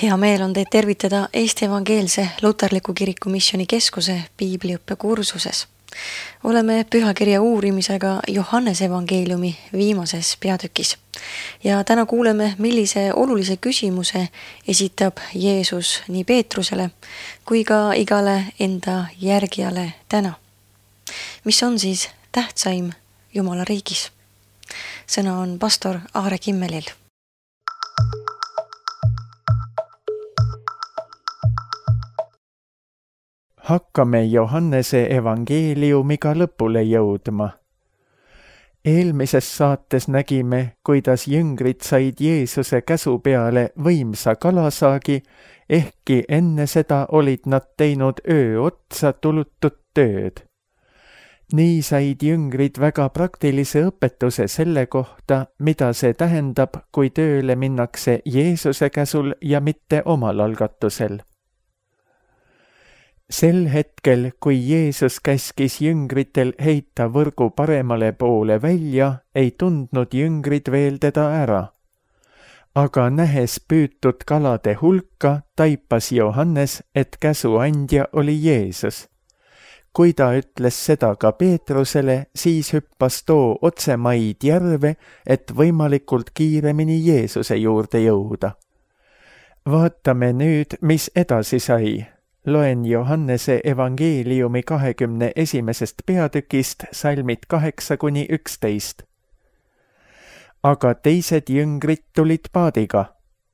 Hea meel on teid tervitada Eesti Evangeelse Luterliku Kiriku Missioni Keskuse piibliõppe kursuses. Oleme pühakirja uurimisega Johannese evangeeliumi viimases peatükis. Ja täna kuuleme, millise olulise küsimuse esitab Jeesus nii Peetrusele kui ka igale enda järgijale täna. Mis on siis tähtsaim Jumala riigis? Sõna on pastor Aare Kimmelil. Hakkame Johannese evangeeliumiga lõpule jõudma. Eelmises saates nägime, kuidas jüngrid said Jeesuse käsu peale võimsa kalasaagi, ehkki enne seda olid nad teinud öö otsa tulutud tööd. Nii said jüngrid väga praktilise õpetuse selle kohta, mida see tähendab, kui tööle minnakse Jeesuse käsul ja mitte omal algatusel. Sel hetkel, kui Jeesus käskis jüngritel heita võrgu paremale poole välja, ei tundnud jüngrid veel teda ära. Aga nähes püütud kalade hulka, taipas Johannes, et käsuandja oli Jeesus. Kui ta ütles seda ka Peetrusele, siis hüppas too otse maid järve, et võimalikult kiiremini Jeesuse juurde jõuda. Vaatame nüüd, mis edasi sai. Loen Johannese evangeeliumi 21. peatükist salmid 8-11. Aga teised jüngrid tulid paadiga.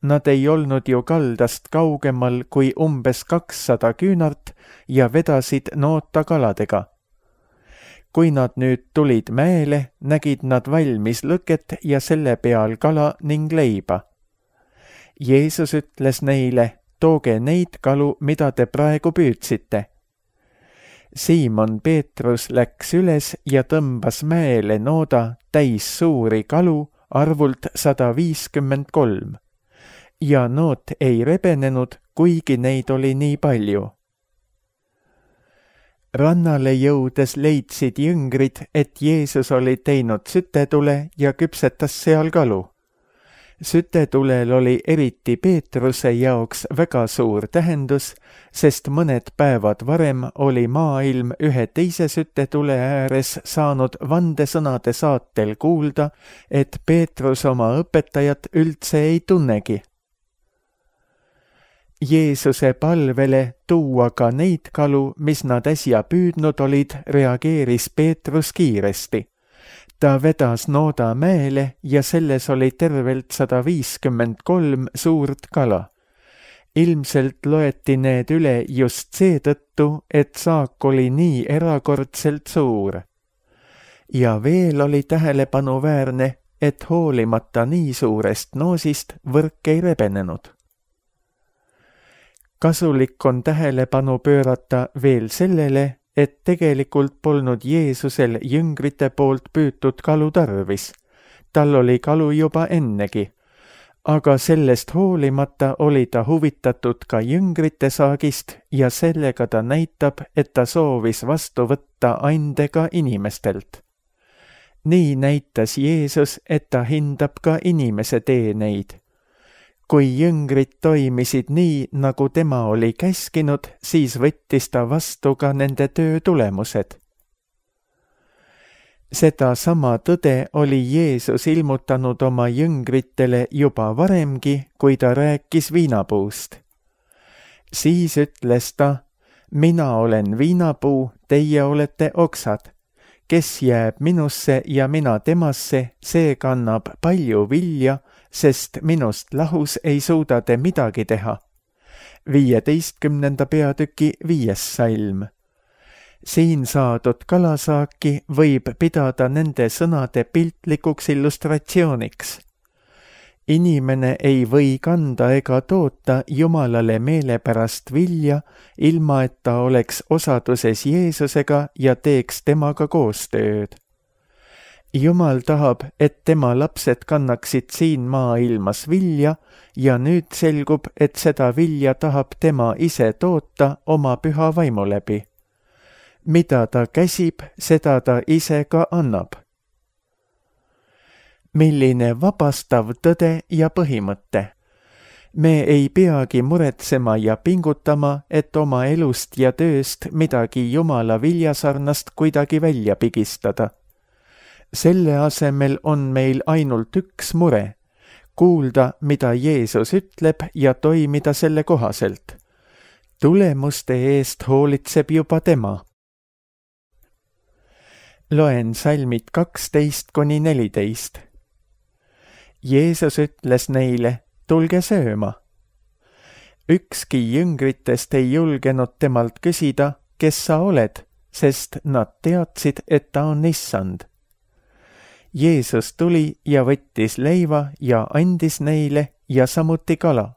Nad ei olnud ju kaldast kaugemal kui umbes 200 küünart ja vedasid noota kaladega. Kui nad nüüd tulid mäele, nägid nad valmis lõket ja selle peal kala ning leiba. Jeesus ütles neile: tooge neid kalu, mida te praegu püüdsite. Siimon Peetrus läks üles ja tõmbas mäele nooda täis suuri kalu, arvult 153. Ja noot ei rebenenud, kuigi neid oli nii palju. Rannale jõudes leidsid jüngrid, et Jeesus oli teinud sütetule ja küpsetas seal kalu. Sütetulel oli eriti Peetruse jaoks väga suur tähendus, sest mõned päevad varem oli maailm ühe teise sütetule ääres saanud vandesõnade saatel kuulda, et Peetrus oma õpetajat üldse ei tunnegi. Jeesuse palvele tuua ka neid kalu, mis nad äsja püüdnud olid, reageeris Peetrus kiiresti. Ta vedas nooda mäele ja selles oli tervelt 153 suurt kala. Ilmselt loeti need üle just seetõttu, et saak oli nii erakordselt suur. Ja veel oli tähelepanuväärne, et hoolimata nii suurest noosist võrk ei rebenenud. Kasulik on tähelepanu pöörata veel sellele, et tegelikult polnud Jeesusel jüngrite poolt püütud kalu tarvis. Tal oli kalu juba ennegi, aga sellest hoolimata oli ta huvitatud ka jüngrite saagist ja sellega ta näitab, et ta soovis vastu võtta andega inimestelt. Nii näitas Jeesus, et ta hindab ka inimese teeneid. Kui jüngrid toimisid nii, nagu tema oli käskinud, siis võttis ta vastu ka nende töö tulemused. Seda sama tõde oli Jeesus ilmutanud oma jüngritele juba varemgi, kui ta rääkis viinapuust. Siis ütles ta: mina olen viinapuu, teie olete oksad. Kes jääb minusse ja mina temasse, see kannab palju vilja, sest minust lahus ei suuda te midagi teha. 15. peatüki 5. salm. Siin saadud kalasaaki võib pidada nende sõnade piltlikuks illustratsiooniks. Inimene ei või kanda ega toota Jumalale meelepärast vilja, ilma et ta oleks osaduses Jeesusega ja teeks temaga koostööd. Jumal tahab, et tema lapsed kannaksid siin maailmas vilja ja nüüd selgub, et seda vilja tahab tema ise toota oma püha vaimu läbi. Mida ta käsib, seda ta ise ka annab. Milline vabastav tõde ja põhimõte. Me ei peagi muretsema ja pingutama, et oma elust ja tööst midagi Jumala viljasarnast kuidagi välja pigistada. Selle asemel on meil ainult üks mure, kuulda, mida Jeesus ütleb ja toimida selle kohaselt. Tulemuste eest hoolitseb juba tema. Loen salmid 12–14. Jeesus ütles neile, tulge sööma. Ükski jüngritest ei julgenud temalt küsida, kes sa oled, sest nad teadsid, et ta on issand. Jeesus tuli ja võttis leiva ja andis neile ja samuti kala.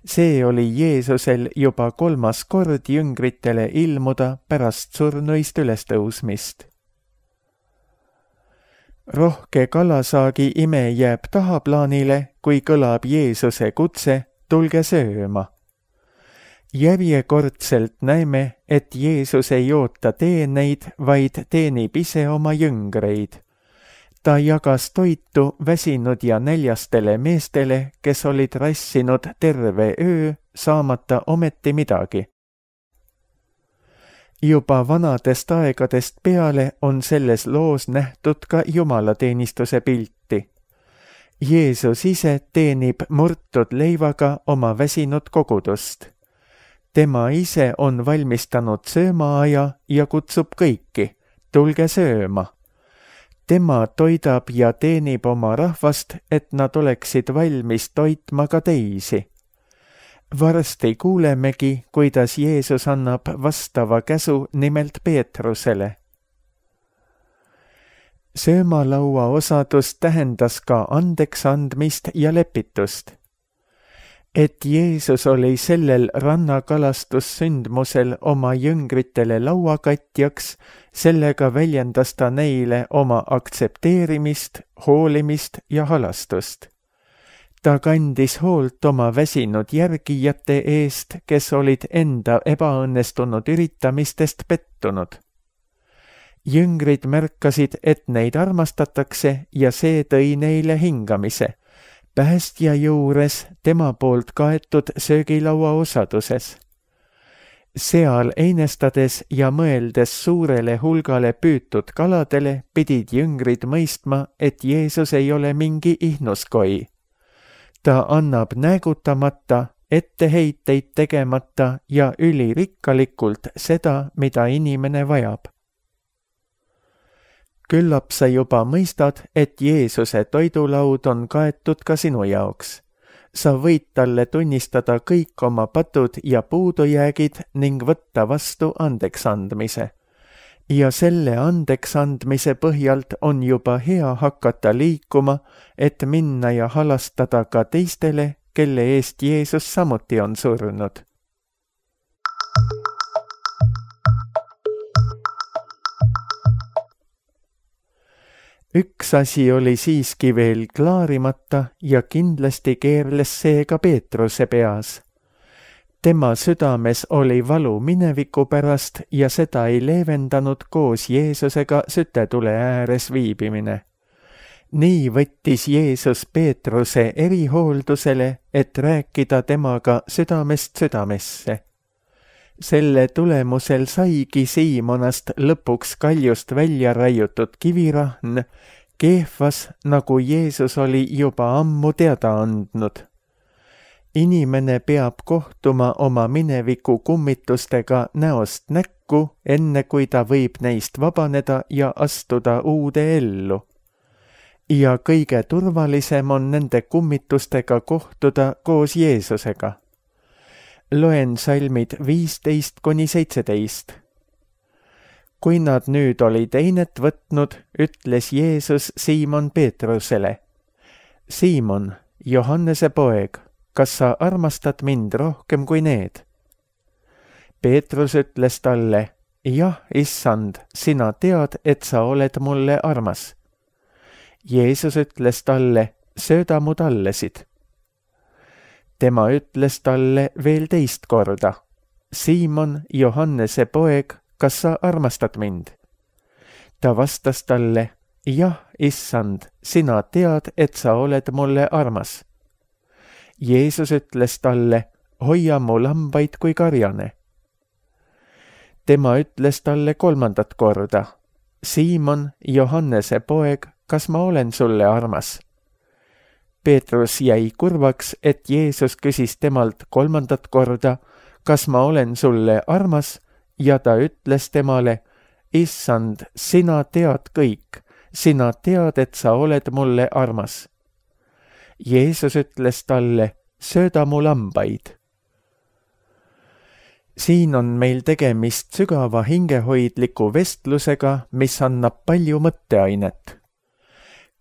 See oli Jeesusel juba 3. kord jüngritele ilmuda pärast surnuist ülestõusmist. Rohke kalasaagi ime jääb tahaplaanile, kui kõlab Jeesuse kutse, tulge sööma. Järjekordselt näeme, et Jeesus ei oota teeneid, vaid teenib ise oma jüngreid. Ta jagas toitu väsinud ja näljastele meestele, kes olid rassinud terve öö, saamata ometi midagi. Juba vanadest aegadest peale on selles loos nähtud ka jumalateenistuse pilti. Jeesus ise teenib murtud leivaga oma väsinud kogudust. Tema ise on valmistanud söömaaja ja kutsub kõiki, tulge sööma. Tema toidab ja teenib oma rahvast, et nad oleksid valmis toitma ka teisi. Varsti kuulemegi, kuidas Jeesus annab vastava käsu nimelt Peetrusele. Söömalaua osadus tähendas ka andeks andmist ja lepitust. Et Jeesus oli sellel rannakalastussündmusel oma jüngritele lauakatjaks, sellega väljendas ta neile oma aktsepteerimist, hoolimist ja halastust. Ta kandis hoolt oma väsinud järgijate eest, kes olid enda ebaõnnestunud üritamistest pettunud. Jüngrid märkasid, et neid armastatakse ja see tõi neile hingamise. Päästja juures tema poolt kaetud söögilaua osaduses. Seal einestades ja mõeldes suurele hulgale püütud kaladele pidid jüngrid mõistma, et Jeesus ei ole mingi ihnuskoi. Ta annab näägutamata, etteheiteid tegemata ja ülirikkalikult seda, mida inimene vajab. Küllap sa juba mõistad, et Jeesuse toidulaud on kaetud ka sinu jaoks. Sa võid talle tunnistada kõik oma patud ja puudujäägid ning võtta vastu andeksandmise. Ja selle andeksandmise põhjalt on juba hea hakata liikuma, et minna ja halastada ka teistele, kelle eest Jeesus samuti on surnud. Üks asi oli siiski veel klaarimata ja kindlasti keerles see ka Peetruse peas. Tema südames oli valu mineviku pärast ja seda ei leevendanud koos Jeesusega sütetule ääres viibimine. Nii võttis Jeesus Peetruse erihooldusele, et rääkida temaga südamest südamesse. Selle tulemusel saigi Siimonast lõpuks kaljust välja raiutud kivirahn, Keefas, nagu Jeesus oli juba ammu teada andnud. Inimene peab kohtuma oma mineviku kummitustega näost näkku, enne kui ta võib neist vabaneda ja astuda uude ellu. Ja kõige turvalisem on nende kummitustega kohtuda koos Jeesusega. Loen salmid 15–17. Kui nad nüüd olid einet võtnud, ütles Jeesus Siimon Peetrusele, Siimon, Johannese poeg, kas sa armastad mind rohkem kui need? Peetrus ütles talle, jah, issand, sina tead, et sa oled mulle armas. Jeesus ütles talle, sööda mu tallesid. Tema ütles talle veel teist korda, Siimon, Johannese poeg, kas sa armastad mind? Ta vastas talle, jah, issand, sina tead, et sa oled mulle armas. Jeesus ütles talle, hoia mu lambaid kui karjane. Tema ütles talle 3. korda, Siimon, Johannese poeg, kas ma olen sulle armas? Peetrus jäi kurvaks, et Jeesus küsis temalt 3. korda, kas ma olen sulle armas, ja ta ütles temale, Issand, sina tead kõik, sina tead, et sa oled mulle armas. Jeesus ütles talle, sööda mu lambaid. Siin on meil tegemist sügava hingehoidliku vestlusega, mis annab palju mõtteainet.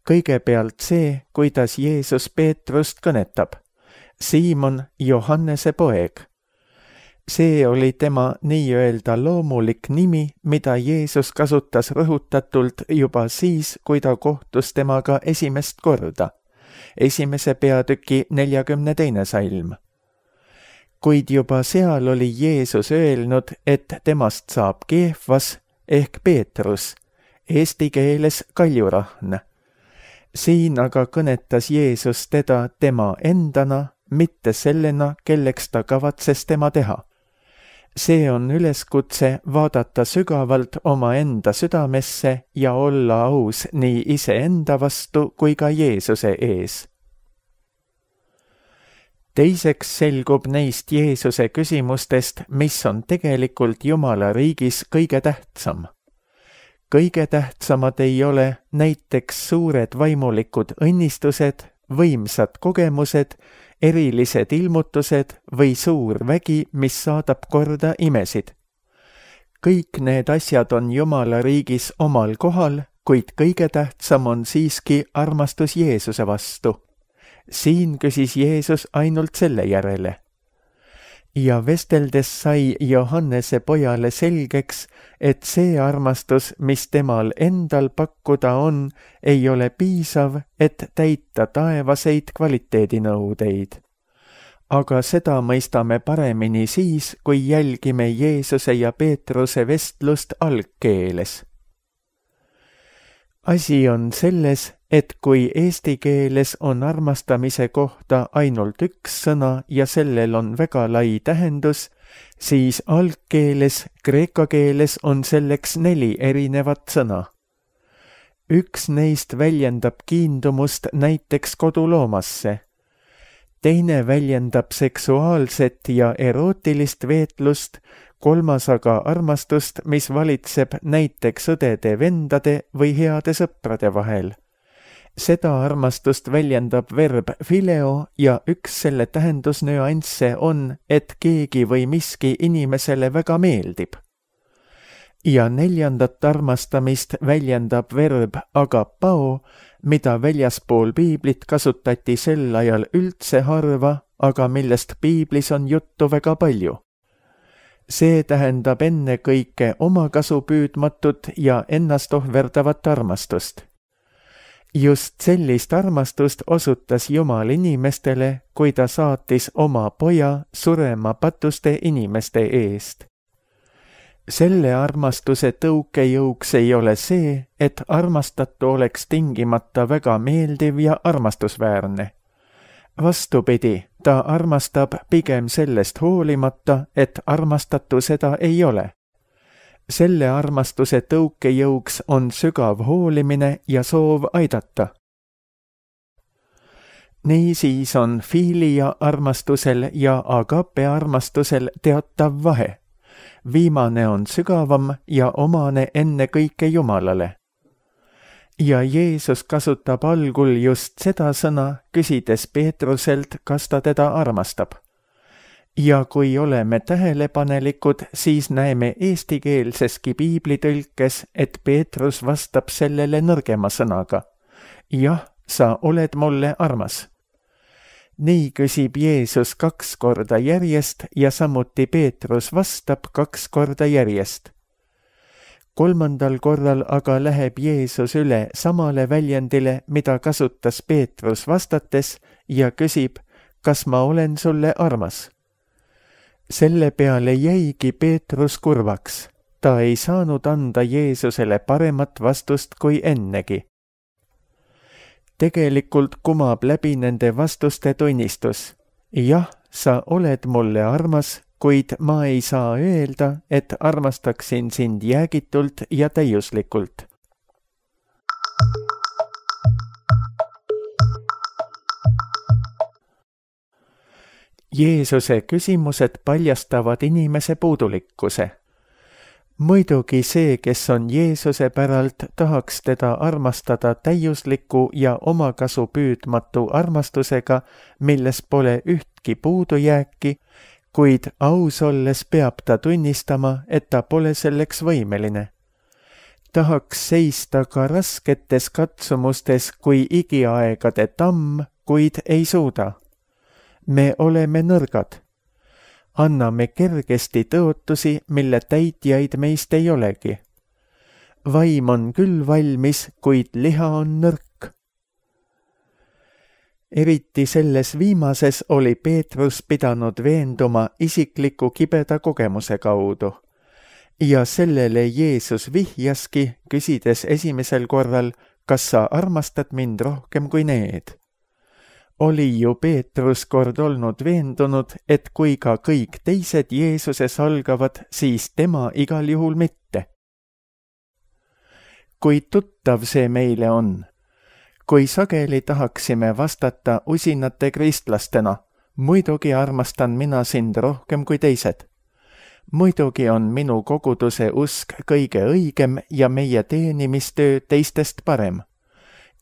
Kõigepealt see, kuidas Jeesus Peetrust kõnetab. Siimon, Johannese poeg. See oli tema nii-öelda loomulik nimi, mida Jeesus kasutas rõhutatult juba siis, kui ta kohtus temaga esimest korda. 1. peatüki 42. salm. Kuid juba seal oli Jeesus öelnud, et temast saab Keefas ehk Peetrus, eesti keeles kaljurahn. Siin aga kõnetas Jeesus teda tema endana, mitte sellena, kelleks ta kavatses tema teha. See on üleskutse vaadata sügavalt omaenda südamesse ja olla aus nii iseenda vastu kui ka Jeesuse ees. Teiseks selgub neist Jeesuse küsimustest, mis on tegelikult Jumala riigis kõige tähtsam. Kõige tähtsamad ei ole näiteks suured vaimulikud õnnistused, võimsad kogemused, erilised ilmutused või suur vägi, mis saadab korda imesid. Kõik need asjad on Jumala riigis omal kohal, kuid kõige tähtsam on siiski armastus Jeesuse vastu. Siin küsis Jeesus ainult selle järele. Ja vesteldes sai Johannese pojale selgeks, et see armastus, mis temal endal pakkuda on, ei ole piisav, et täita taevaseid kvaliteedinõudeid. Aga seda mõistame paremini siis, kui jälgime Jeesuse ja Peetruse vestlust algkeeles. Asi on selles, et kui eesti keeles on armastamise kohta ainult üks sõna ja sellel on väga lai tähendus, siis algkeeles, kreeka keeles on selleks 4 erinevat sõna. Üks neist väljendab kiindumust näiteks koduloomasse. Teine väljendab seksuaalset ja erootilist veetlust, 3. aga armastust, mis valitseb näiteks õdede-vendade või heade sõprade vahel. Seda armastust väljendab verb phileo ja üks selle tähendusnüansse on, et keegi või miski inimesele väga meeldib. Ja 4. armastamist väljendab verb agapao, mida väljaspool piiblit kasutati sel ajal üldse harva, aga millest piiblis on juttu väga palju. See tähendab ennekõike omakasupüüdmatut ja ennast ohverdavat armastust. Just sellist armastust osutas Jumal inimestele, kui ta saatis oma poja surema patuste inimeste eest. Selle armastuse tõukejõuks ei ole see, et armastatu oleks tingimata väga meeldiv ja armastusväärne. Vastupidi, ta armastab pigem sellest hoolimata, et armastatu seda ei ole. Selle armastuse tõukejõuks on sügav hoolimine ja soov aidata. Niisiis on fiilia armastusel ja agape armastusel teatav vahe. Viimane on sügavam ja omane ennekõike Jumalale. Ja Jeesus kasutab algul just seda sõna, küsides Peetruselt, kas ta teda armastab. Ja kui oleme tähelepanelikud, siis näeme eestikeelseski piiblitõlkes, et Peetrus vastab sellele nõrgema sõnaga. Jah, sa oled mulle armas. Nii küsib Jeesus 2 korda järjest ja samuti Peetrus vastab 2 korda järjest. 3. korral aga läheb Jeesus üle samale väljendile, mida kasutas Peetrus vastates ja küsib, kas ma olen sulle armas. Selle peale jäigi Peetrus kurvaks. Ta ei saanud anda Jeesusele paremat vastust kui ennegi. Tegelikult kumab läbi nende vastuste tunnistus. jah, sa oled mulle armas, kuid ma ei saa öelda, et armastaksin sind jäägitult ja täiuslikult. Jeesuse küsimused paljastavad inimese puudulikkuse. Muidugi see, kes on Jeesuse päralt, tahaks teda armastada täiusliku ja omakasu püüdmatu armastusega, milles pole ühtki puudujääki, kuid aus olles peab ta tunnistama, et ta pole selleks võimeline. Tahaks seista ka rasketes katsumustes kui igiaegade tamm, kuid ei suuda. Me oleme nõrgad. Anname kergesti tõotusi, mille täitjaid meist ei olegi. Vaim on küll valmis, kuid liha on nõrk. Eriti selles viimases oli Peetrus pidanud veenduma isikliku kibeda kogemuse kaudu. Ja sellele Jeesus vihjaski, küsides esimesel korral, kas sa armastad mind rohkem kui need. Oli ju Peetrus kord olnud veendunud, et kui ka kõik teised Jeesuses algavad, siis tema igal juhul mitte. Kui tuttav see meile on? Kui sageli tahaksime vastata usinate kristlastena, muidugi armastan mina sind rohkem kui teised. Muidugi on minu koguduse usk kõige õigem ja meie teenimistöö teistest parem.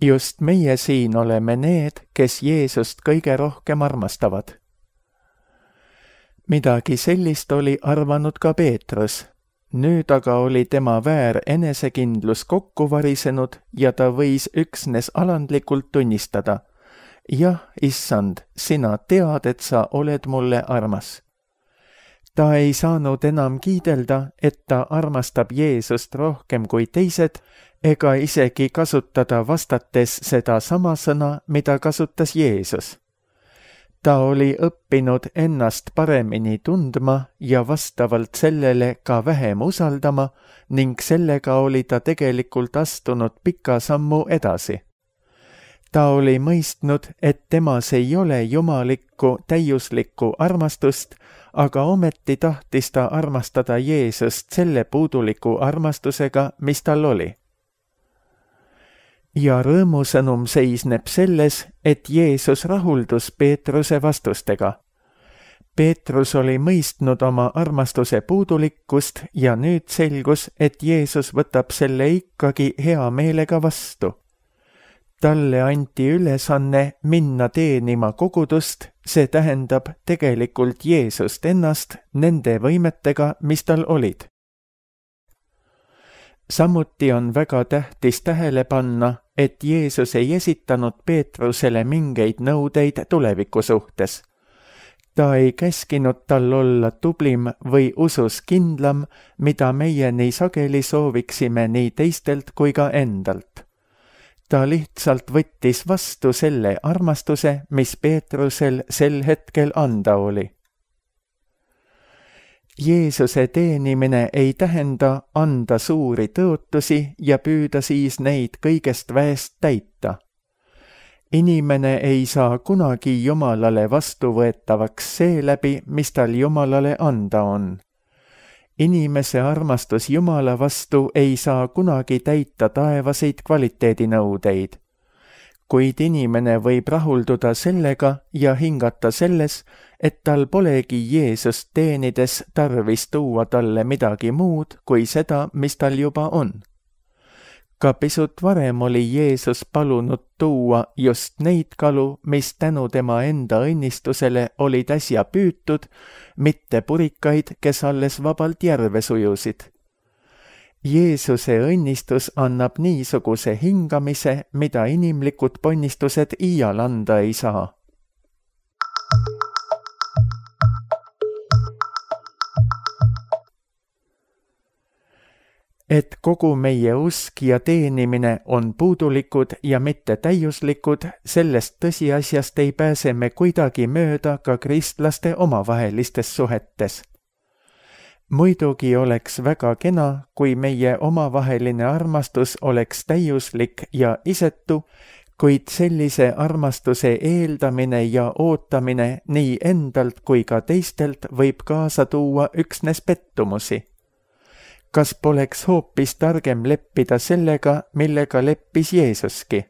Just meie siin oleme need, kes Jeesust kõige rohkem armastavad. Midagi sellist oli arvanud ka Peetrus. Nüüd aga oli tema väär enesekindlus kokku varisenud ja ta võis üksnes alandlikult tunnistada. Jah, issand, sina tead, et sa oled mulle armas. Ta ei saanud enam kiidelda, et ta armastab Jeesust rohkem kui teised, ega isegi kasutada vastates seda sama sõna, mida kasutas Jeesus. Ta oli õppinud ennast paremini tundma ja vastavalt sellele ka vähem usaldama ning sellega oli ta tegelikult astunud pika sammu edasi. Ta oli mõistnud, et temas ei ole jumalikku täiuslikku armastust, aga ometi tahtis ta armastada Jeesust selle puuduliku armastusega, mis tal oli. Ja rõõmusõnum seisneb selles, et Jeesus rahuldus Peetruse vastustega. Peetrus oli mõistnud oma armastuse puudulikkust ja nüüd selgus, et Jeesus võtab selle ikkagi hea meelega vastu. Talle anti ülesanne minna teenima kogudust, see tähendab tegelikult Jeesust ennast nende võimetega, mis tal olid. Samuti on väga tähtis tähele panna, et Jeesus ei esitanud Peetrusele mingeid nõudeid tuleviku suhtes. Ta ei käskinud tal olla tublim või usus kindlam, mida meie nii sageli sooviksime nii teistelt kui ka endalt. Ta lihtsalt võttis vastu selle armastuse, mis Peetrusel sel hetkel anda oli. Jeesuse teenimine ei tähenda anda suuri tõotusi ja püüda siis neid kõigest väest täita. Inimene ei saa kunagi Jumalale vastuvõetavaks seeläbi, mis tal Jumalale anda on. Inimese armastus Jumala vastu ei saa kunagi täita taevaseid kvaliteedinõudeid. Kuid inimene võib rahulduda sellega ja hingata selles, et tal polegi Jeesust teenides tarvis tuua talle midagi muud kui seda, mis tal juba on. Ka pisut varem oli Jeesus palunud tuua just neid kalu, mis tänu tema enda õnnistusele olid äsja püütud, mitte purikaid, kes alles vabalt järve sujusid. Jeesuse õnnistus annab niisuguse hingamise, mida inimlikud ponnistused iial anda ei saa. Et kogu meie usk ja teenimine on puudulikud ja mitte täiuslikud, sellest tõsiasjast ei pääse me kuidagi mööda ka kristlaste omavahelistes suhetes. Muidugi oleks väga kena, kui meie omavaheline armastus oleks täiuslik ja isetu, kuid sellise armastuse eeldamine ja ootamine nii endalt kui ka teistelt võib kaasa tuua üksnes pettumusi. Kas poleks hoopis targem leppida sellega, millega leppis Jeesuski?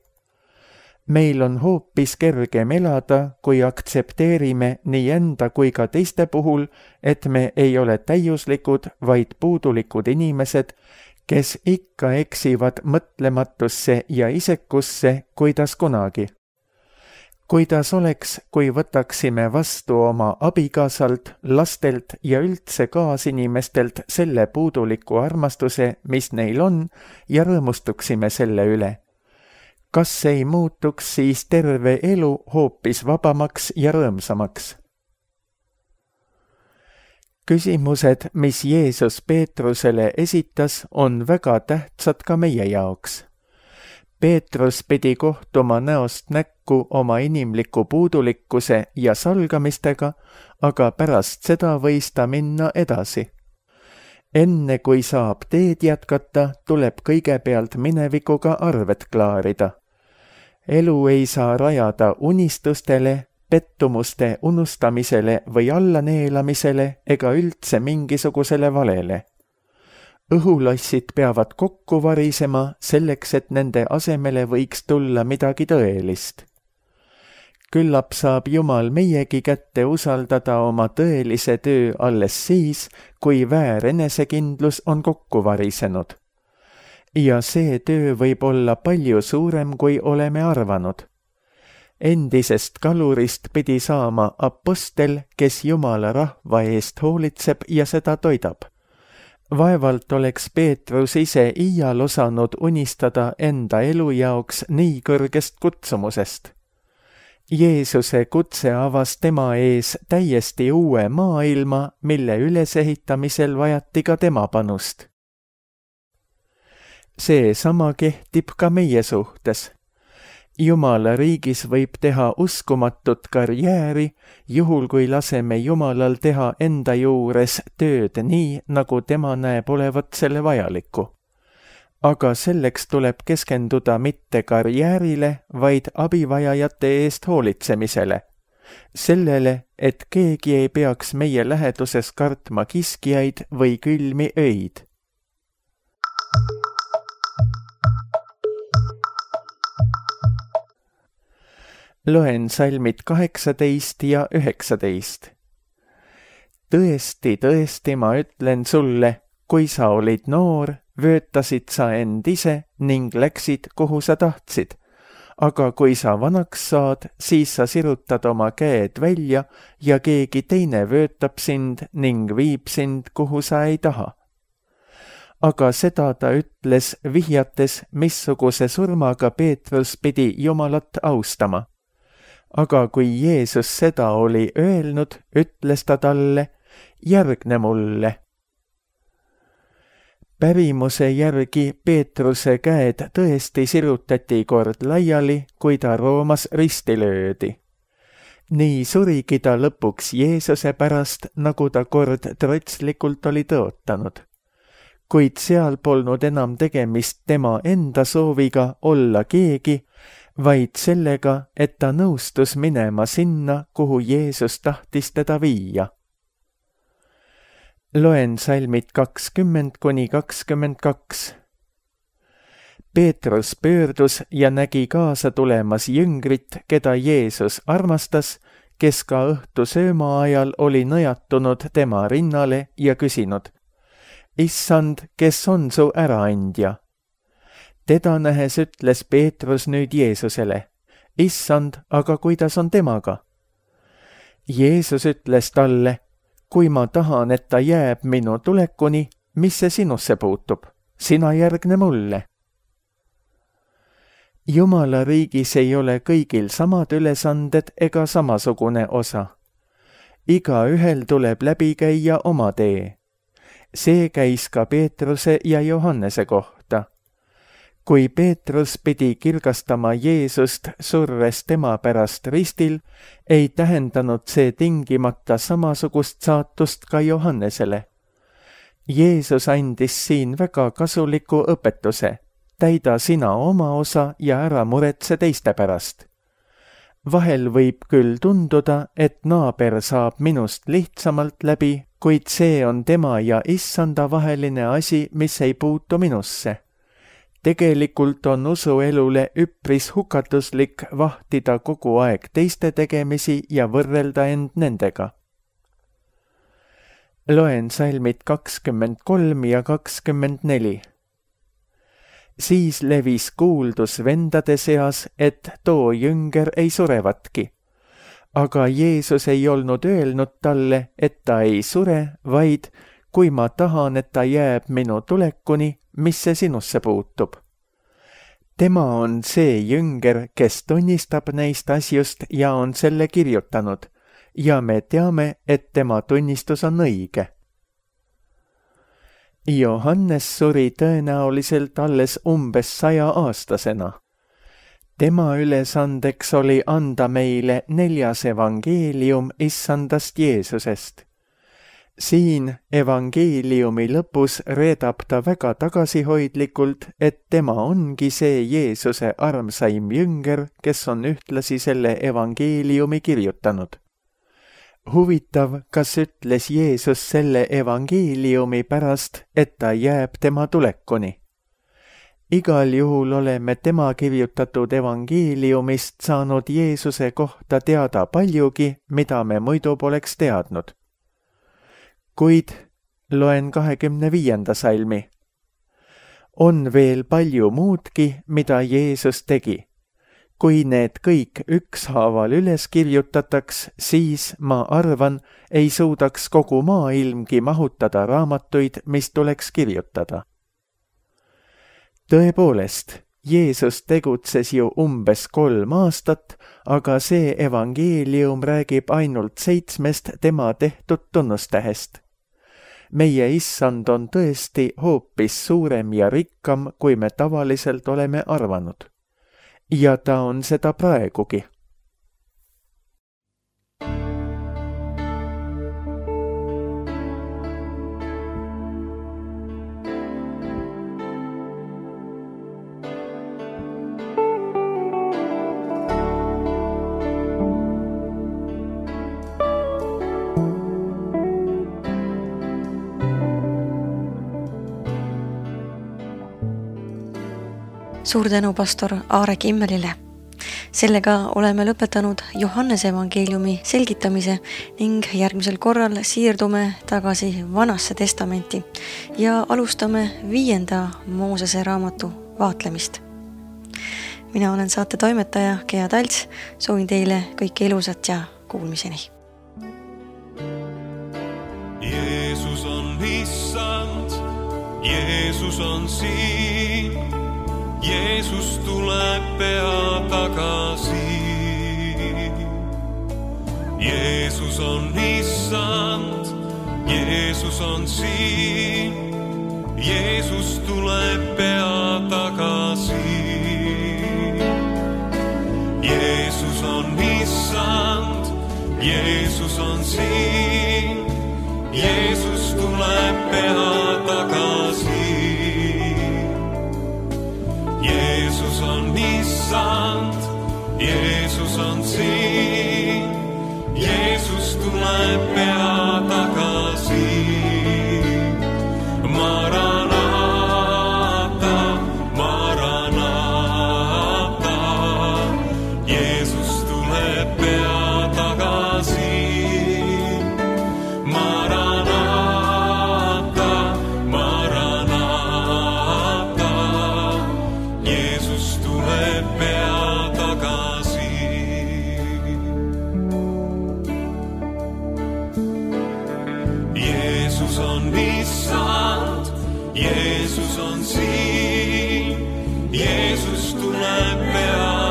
Meil on hoopis kergem elada, kui aktsepteerime nii enda kui ka teiste puhul, et me ei ole täiuslikud, vaid puudulikud inimesed, kes ikka eksivad mõtlematusse ja isekusse, kuidas kunagi. Kuidas oleks, kui võtaksime vastu oma abikaasalt, lastelt ja üldse kaasinimestelt selle puuduliku armastuse, mis neil on, ja rõõmustuksime selle üle? Kas ei muutuks siis terve elu hoopis vabamaks ja rõõmsamaks? Küsimused, mis Jeesus Peetrusele esitas, on väga tähtsad ka meie jaoks. Peetrus pidi kohtuma näost näkku oma inimliku puudulikkuse ja salgamistega, aga pärast seda võis ta minna edasi. Enne kui saab teed jätkata, tuleb kõigepealt minevikuga arved klaarida. Elu ei saa rajada unistustele, pettumuste unustamisele või allaneelamisele ega üldse mingisugusele valele. Õhulassid peavad kokku varisema selleks, et nende asemele võiks tulla midagi tõelist. Küllap saab Jumal meiegi kätte usaldada oma tõelise töö alles siis, kui väär enesekindlus on kokku varisenud. Ja see töö võib olla palju suurem, kui oleme arvanud. Endisest kalurist pidi saama apostel, kes Jumala rahva eest hoolitseb ja seda toidab. Vaevalt oleks Peetrus ise iial osanud unistada enda elu jaoks nii kõrgest kutsumusest. Jeesuse kutse avas tema ees täiesti uue maailma, mille ülesehitamisel vajati ka tema panust. See sama kehtib ka meie suhtes. Jumala riigis võib teha uskumatut karjääri, juhul kui laseme Jumalal teha enda juures tööd nii, nagu tema näeb olevat selle vajaliku. Aga selleks tuleb keskenduda mitte karjäärile, vaid abivajajate eest hoolitsemisele. Sellele, et keegi ei peaks meie läheduses kartma kiskjaid või külmi öid. Loen salmid 18 ja 19. Tõesti, tõesti, ma ütlen sulle, kui sa olid noor, vöötasid sa end ise ning läksid, kuhu sa tahtsid. Aga kui sa vanaks saad, siis sa sirutad oma käed välja ja keegi teine vöötab sind ning viib sind, kuhu sa ei taha. Aga seda ta ütles vihjates, missuguse surmaga Peetrus pidi Jumalat austama. Aga kui Jeesus seda oli öelnud, ütles ta talle, järgne mulle. Pärimuse järgi Peetruse käed tõesti sirutati kord laiali, kui ta Roomas risti löödi. Nii surigi ta lõpuks Jeesuse pärast, nagu ta kord trotslikult oli tõotanud. Kuid seal polnud enam tegemist tema enda sooviga olla keegi, vaid sellega, et ta nõustus minema sinna, kuhu Jeesus tahtis teda viia. Loen salmid 20–22. Peetrus pöördus ja nägi kaasa tulemas jüngrit, keda Jeesus armastas, kes ka õhtu sööma ajal oli nõjatunud tema rinnale ja küsinud, Issand, kes on su äraandja? Teda nähes ütles Peetrus nüüd Jeesusele, Issand, aga kuidas on temaga? Jeesus ütles talle, kui ma tahan, et ta jääb minu tulekuni, mis see sinusse puutub? Sina järgne mulle. Jumala riigis ei ole kõigil samad ülesanded ega samasugune osa. Igaühel tuleb läbi käia oma tee. See käis ka Peetruse ja Johannese kohta. Kui Peetrus pidi kirgastama Jeesust surres tema pärast ristil, ei tähendanud see tingimata samasugust saatust ka Johannesele. Jeesus andis siin väga kasuliku õpetuse. täida sina oma osa ja ära muretse teiste pärast. Vahel võib küll tunduda, et naaber saab minust lihtsamalt läbi, kuid see on tema ja Issanda vaheline asi, mis ei puutu minusse. Tegelikult on usuelule üpris hukatuslik vahtida kogu aeg teiste tegemisi ja võrrelda end nendega. Loen salmid 23 ja 24. Siis levis kuuldus vendade seas, et too jünger ei surevatki. Aga Jeesus ei olnud öelnud talle, et ta ei sure, vaid kui ma tahan, et ta jääb minu tulekuni, mis see sinusse puutub. Tema on see jünger, kes tunnistab neist asjust ja on selle kirjutanud, ja me teame, et tema tunnistus on õige. Johannes suri tõenäoliselt alles umbes 100-aastasena. Tema ülesandeks oli anda meile 4 evangeelium Issandast Jeesusest. Siin evangeeliumi lõpus reedab ta väga tagasihoidlikult, et tema ongi see Jeesuse armsaim jünger, kes on ühtlasi selle evangeeliumi kirjutanud. Huvitav, kas ütles Jeesus selle evangeeliumi pärast, et ta jääb tema tulekuni. Igal juhul oleme tema kirjutatud evangeeliumist saanud Jeesuse kohta teada paljugi, mida me muidu poleks teadnud. Kuid loen 25. salmi. On veel palju muudki, mida Jeesus tegi. Kui need kõik ükshaaval üles kirjutataks, siis, ma arvan, ei suudaks kogu maailmgi mahutada raamatuid, mis tuleks kirjutada. Tõepoolest, Jeesus tegutses ju umbes 3 aastat, aga see evangeelium räägib ainult 7 tema tehtud tunnustähest. Meie Issand on tõesti hoopis suurem ja rikkam, kui me tavaliselt oleme arvanud. Ja ta on seda praegugi. Suur tänu pastor Aare Kimmelile. Sellega oleme lõpetanud Johannese evangeeliumi selgitamise ning järgmisel korral siirdume tagasi Vanasse testamenti ja alustame 5. Moosese raamatu vaatlemist. Mina olen saate toimetaja Gea Talts, soovin teile kõike ilusat ja kuulmiseni. Jeesus on Issand, Jeesus on siin. Jeesus tuleb pea tagasi. Jeesus on Issand, Jeesus on siin. Jeesus tuleb pea tagasi. Jeesus on Issand, Jeesus on siin. Jeesus tuleb pea tagasi. Jeesus on Issand, Jeesus on siin. Jeesus tuleb pea tagasi. Maranata, Maranata. Jeesus tuleb pea tagasi. Maranata, Maranata. Jeesus tuleb pea tagasi. Jeesus on Issand, Jeesus on siin. Jeesus tuleb pea